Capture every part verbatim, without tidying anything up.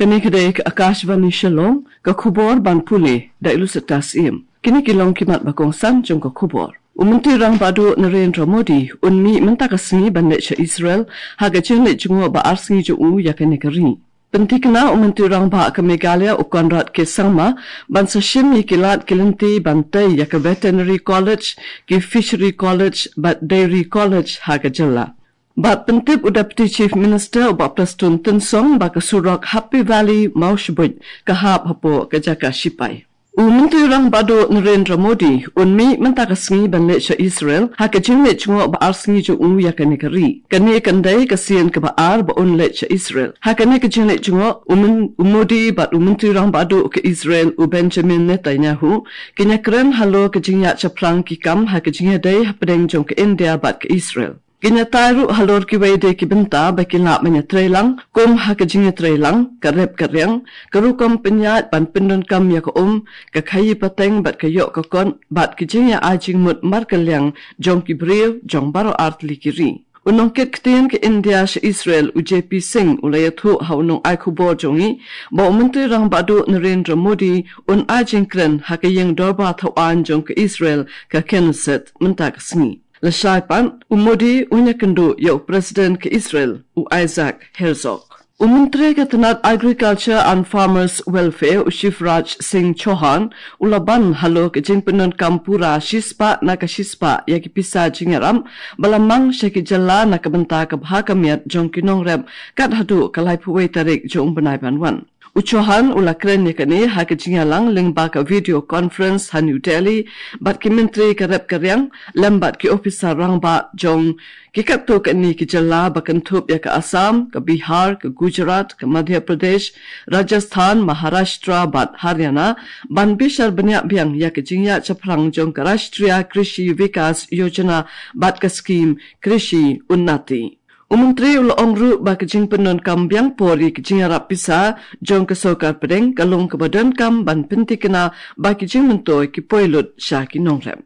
Kane ka dei ka Akashvani Shillong, ka khubor ban pule da i Lucetta Syiem. Kine ki long ki mat ba kongsan jong ka khubor. U Myntri Rangbah Duh Narendra Modi un mih mynta ka sngi ban leit sha Israel ha ka jingleit jngoh ba ar sngi jong u ïa kane ka ri. Pynthikna u Myntri Rangbah ka Meghalaya u Conrad K Sangma ban sa shim ïa ki lad ki lynti ban tei ïa ka Veterinary College, ki Fishery College bad Dairy College ha ka jylla. Bad pyntip u Deputy Chief Minister u Bah Prestone Tynsong ba ka surok Happy Valley Mawshbuit ka hap hapoh ka jaka shipai. U Myntri Rangbah Duh Narendra Modi un mih mynta ka sngi ban leit sha Israel ha ka jingleit jngoh ba ar sngi jong u ïa kane ka ri. Kane kan dei ka sien kaba ar ba un leit sha Israel. Ha kane ka jingleit jngoh u Myn-, u Modi bad u Myntri Rangbah Duh ka Israel u Benjamin Netanyahu kin ïakren halor ka jingïaid shaphrang ki kam ha ka jingïadei hapdeng jong ka India bad ka Israel. Kin ïatai ruh halor kiwei de ki bynta ba ki lah ban ïatreilang, kum ha ka jingïatreilang, ka rep ka riang, ka rukom pynïaid ban pyndonkam ïa ka um, ka khaïi pateng bad ka ïoh ka kot, bad ka jingïa ai jingmut markylliang jong ki briew jong baroh artylli ki ri. U nongkit ktien ka India sha Israel u J P Singh u la ïathuh ha u nongai khubor jong ngi ba u Myntri Rangbah Duh Narendra Modi un ai jingkren ha ka ïing dorbar thaw aiñ jong ka Israel ka Knesset mynta ka sngi. Lashai pat, u Modi un ïakynduh ïa u President ka Israel, u Isaac Herzog. U Myntri ka tnat Agriculture and Farmers Welfare, u Shivraj Singh Chauhan, u la ban halor ka jingpyndonkam pura shispah na ka shispah ïa ki pisa jingïarap ba la mang sha ki jylla na ka bynta ka bha ka miat jong ki nongrep kat haduh ka laiphew wei tarik jong u bnai ban wan. U Chauhan u la kren ïa kane ha ka jingïalang lyngba ka video conference ha New Delhi bad ki myntri ka rep ka riang lem bad ki ophisar rangbah jong ki katto katne ki jylla ba kynthup ïa ka Assam, ka Bihar, ka Gujarat, ka Madhya Pradesh, Rajasthan, Maharashtra bad Haryana ban bishar bniah biang ïa ka jingïaid shaphrang jong ka Rashtriya Krishi Vikas Yojana bad ka skim Krishi Unnati. U Myntri u la ong ruh ba ka jingpyndonkam biang por ïa ka jingïarap pisa jong ka sorkar pdeng ka long kaba donkam ban pynthikna ba ki jingmyntoi ki poi lut sha ki nongrep.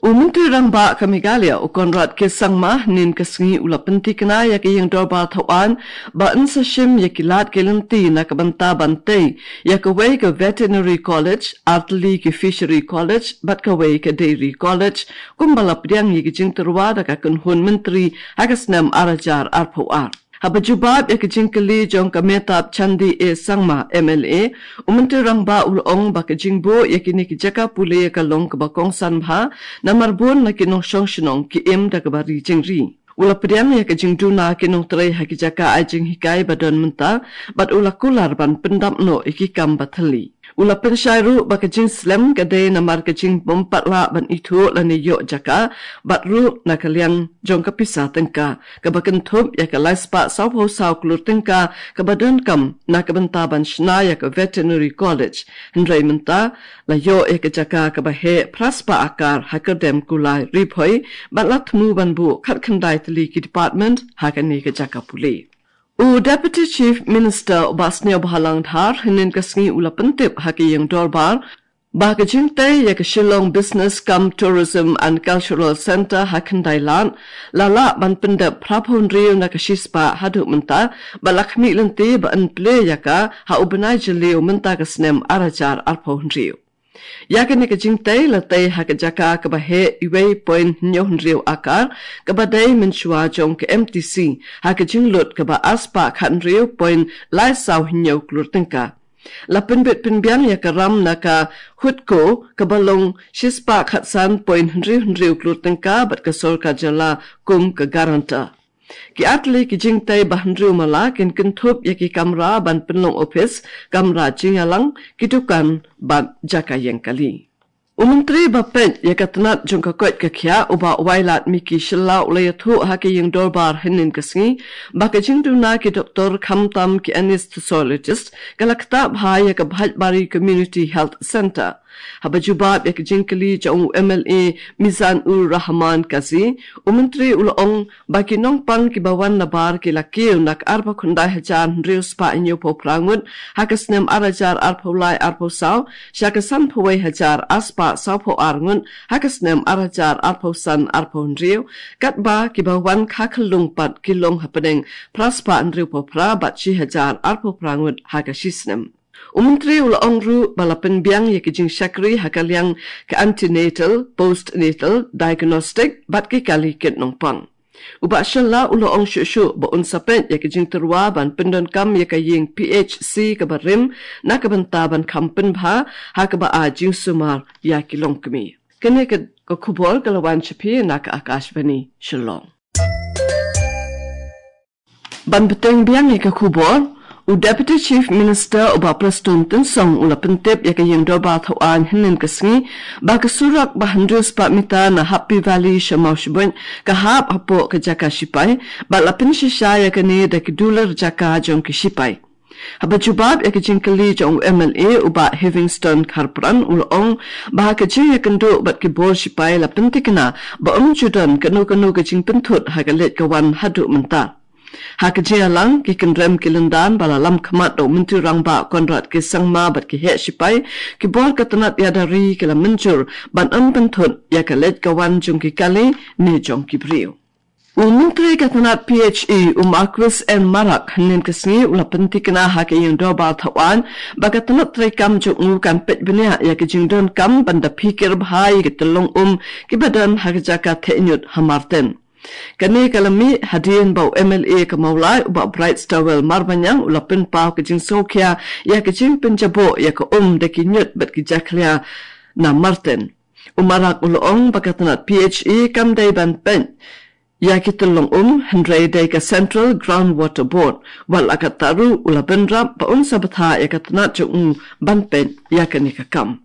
U Myntri Rangbah ka Meghalaya u Conrad K Sangma hynnin ka sngi u la pynthikna ïa ka ïing dorbar thaw aiñ ba yn sa shim ïa ki lad ki lynti na ka bynta ban tei ïa kawei ka Veterinary College, artylli ki Fishery College bad kawei ka Dairy College, kumba la pdiang ïa ki jingtyrwa da ka kynhun myntri ha ka snem ar hajar arphew ar. Haba jubab ïa ka jingkylli jong ka Mehtab Chandi A Sangma M L A, u Myntri Rangbah u la ong ba ka jingbuh ïa kine ki jaka pule ka long kaba kongsan bha, namar bun na ki nongshong shnong ki im da kaba ri jingri. U la pdiang ïa ka jingduna ki nongtrei ha ki jaka ai jinghikai ba don mynta, bad u la kular ban pyndap noh ïa ki kam ba thylli. U la pynshai ruh ba ka jingslem ka dei namar ka jingbym pat lah ban ithuh lane ïoh jaka, bad ruh na ka liang jong ka pisa tyngka, kaba kynthup ïa ka lai spah sawphew saw klur tyngka, kaba donkam na ka bynta ban shna ïa ka Veterinary College. Hynrei mynta la ïoh ïa ka jaka kaba heh phra spah akar ha Kyrdem Kulai Ri Bhoi, bad la thmu ban buh khatkhyndai tylli ki department ha kane ka jaka pule. U Deputy Chief Minister u Bah Sniawbhalang Dhar hynnin ka sngi u la pyntip ha ka ïing dorbar ba ka jingtei ïa ka Shillong Business cum Tourism and Cultural Centre ha Khyndailad la lah ban pyndep phra phew hynriew na ka shispah haduh mynta, bad la khmih lynti ba yn plie ïa ka ha u bnai Jylliew mynta ka snem ar hajar arphew hynriew. Ïa kane ka jingtei la tei ha ka jaka kaba heh uwei point hynñiew hynriew akar, kaba dei mynshuwa jong ka M T C, ha ka jinglut kaba ar spah khathynriew point lai saw hynñiew klur tyngka. La pynbit pynbiang ïa ka ram na ka HUDCO kaba long shispah khatsan point hynriew hynriew klur tyngka bad ka sorkar jylla kum ka guarantor. Ki artylli ki jingtei ba hynriew mala kin kynthup ïa ki kamra ban pynlong ophis, kamra jingïalang, ki dukan bad jaka ïeng kali. U Myntri ba peit ïa ka tnat jong ka koit ka khiah u Bah Wailadmiki Shylla u la ïathuh ha ka ïing dorbar hynnin ka sngi ba ka jingduna ki doktor khamtam ki anaesthethologist ka la ktah bha ïa ka Bhaitbari Community Health Centre. Haba jubab ïa ka jingkylli jong u M L A Mizanur Rahman Kazi, u Myntri u la ong ba ki nongpang kiba wan nabar ki la kiew na ka arphew khyndai hajar hynriew spah hynñiewphew phra ngut ha ka snem ar hajar arphew lai arphew saw, sha ka sanphew wei hajar ar spah sawphew ar ngut ha ka snem ar hajar arphew san arphew hynriew, katba kiba wan kha khyllung pat ki long hapdeng phra spah hynriewphew phra bad shi hajar arphew phra ngut ha ka shi snem. U Myntri u la ong ruh ba la pynbiang ïa ki jingshakri ha ka liang ka antenatal, postnatal, diagnostic bad ki kali kit nongpang. U Bah Shylla u la ong shuh shuh ba un sa peit ïa ki jingtyrwa ban pyndonkam ïa ka ïing P H C kaba rim na ka bynta ban kham pynbha ha kaba ai jingsumar ïa ki longkmie. Kane ka, ka khubor ka la wan sha phi na ka Akashvani Shillong. Ban bteng biang ïa ka khubor, u Deputy Chief Minister u Bah Prestone Tynsong u la pyntip ïa ka ïing dorbar thaw aiñ hynnin ka sngi ba ka surok ba hynriew spah mitar na Happy Valley sha Mawshbuit ka hap hapoh ka jaka shipai, bad la pynshisha ïa kane da ki dulir jaka jong ki shipai. Haba jubab ïa ka jingkylli jong u M L A u Bah Heavingstone Kharpran u la ong ba ha ka jingïakynduh bad ki bor shipai la pynthikna ba ym ju don kano kano ka jingpynthut ha ka leit ka wan haduh mynta. Ha ka jingïalang ki kynrem ki lyndan ba la lam khmat da u Myntri Rangbah Conrad K Sangma bad ki heh shipai, ki bor ka tnat ïada ri ki la mynjur ban ym pynthut ïa ka leit ka wan jong ki kali ne jong ki briew. U Myntri ka tnat P H E u Marcuise N Marak hynnin ka sngi u la pynthikna ha ka ïing dorbar thaw aiñ ba ka tnat treikam jong u kan peit bniah ïa ka jingdonkam ban da phikir bha ïa ki tyllong um kiba don ha ka jaka theh ñiut ha Marten. Kane ka la mih hadien ba u M L A ka Mawlai u Bah Brightstarwell Marbaniang u la pynpaw ka jingsngewkhia ïa ka jingpynjaboh ïa ka um da ki ñiut bad ki jakhlia na Marten. U Marak u la ong ba ka tnat P H E kam dei ban peit ïa ki tyllong um, hynrei dei ka Central Groundwater Board. Wat la katta ruh u la bynrap ba un sa bthah ïa ka tnat jong u ban peit ïa kane ka kam.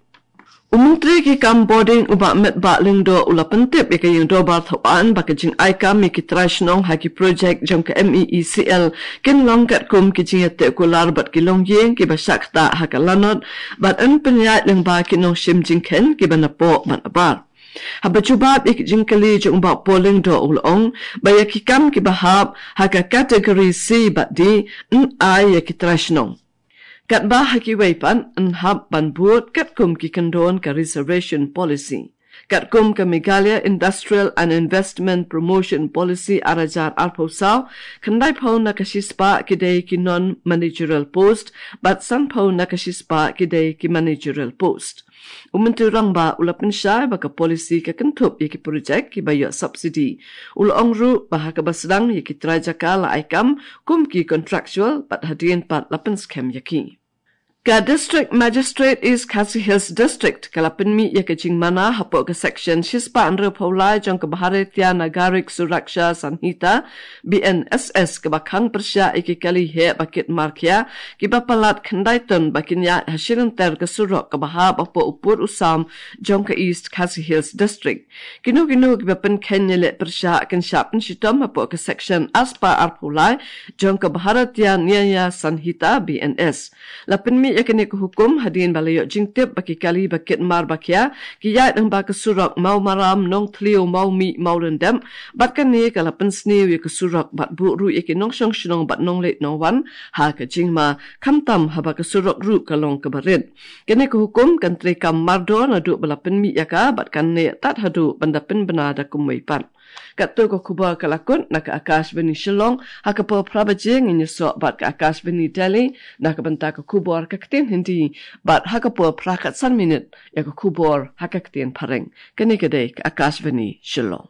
U Myntri ki kam bording u Bah Metbah Lyngdoh u la pyntip ïa ka ïing dorbar thaw aiñ ba ka jingai kam ïa ki trai shnong ha ki projek jong ka M E E C L kin long katkum ki jingïateh kular bad ki longïing kiba shah ktah ha ka lanot, bad yn pynïaid lyngba ki nongshim jingkheiñ kiba napoh bad nabar. Haba jubab ïa ki jingkylli jong u Bah Paul Lyngdoh u la ong ba ïa ki kam kiba hap ha ka category C bad D yn ai ïa ki trai shnong. Katba ha kiwei pat yn hap ban bud katkum ki kyndon ka reservation policy. Katkum ka Meghalaya Industrial and Investment Promotion Policy ar hajar arphew saw, khyndaiphew na ka shispah ki dei ki non-managerial post, bad sanphew na ka shispah ki dei ki managerial post. U Myntri Rangbah u la pynshai ba ka policy ka kynthup ïa ki projek kiba ïoh subsidy. U la ong ruh ba ha kaba sdang ïa ki trai jaka la ai kam kum ki contractual bad hadien pat la pynskhem ïa ki. Ka District Magistrate East Khasi Hills District ka la pynmih ïa ka jingmana hapoh ka section shispah hynriewphew lai jong ka Bharatiya Nagarik Suraksha Sanhita, B N S S, kaba khang pyrshah ïa ki kali heh ba kit mar khia kiba palat khyndai ton ba kin ïaid ha shilynter ka surok kaba hap hapoh u pud u sam jong ka East Khasi Hills District. Kino kino kiba pynkheiñ ne leh pyrshah kin shah pynshitom hapoh ka section arspah arphew lai jong ka Bharatiya Nyaya Sanhita, B N S. La pynmih ïa kane ka hukum hadien ba la ïoh jingtip ba ki kali ba kit mar ba khia ki ïaid lyngba ka surok Mawmaram, Nongthliew, Mawmih, Mawlyndep, bad kane ka la pynsniew ïa ka surok bad buh ruh ïa ki nongshong shnong bad nongleit nongwan ha ka jingma, khamtam haba ka surok ruh ka long kaba rit. Kane ka hukum kan treikam mardor naduh ba la pynmih ïa ka bad kan neh tad haduh ban da pynbna da kumwei pat. Katto ka khubor ka la kut na ka Akashvani Shillong, ha ka por phra baje ngin ïasoh bad ka Akashvani Delhi na ka bynta ka khubor ka ktien Hindi, bad ha ka por phra khatsan minit ïa ka khubor ha ka ktien Phareng. Kane ka dei ka Akashvani Shillong.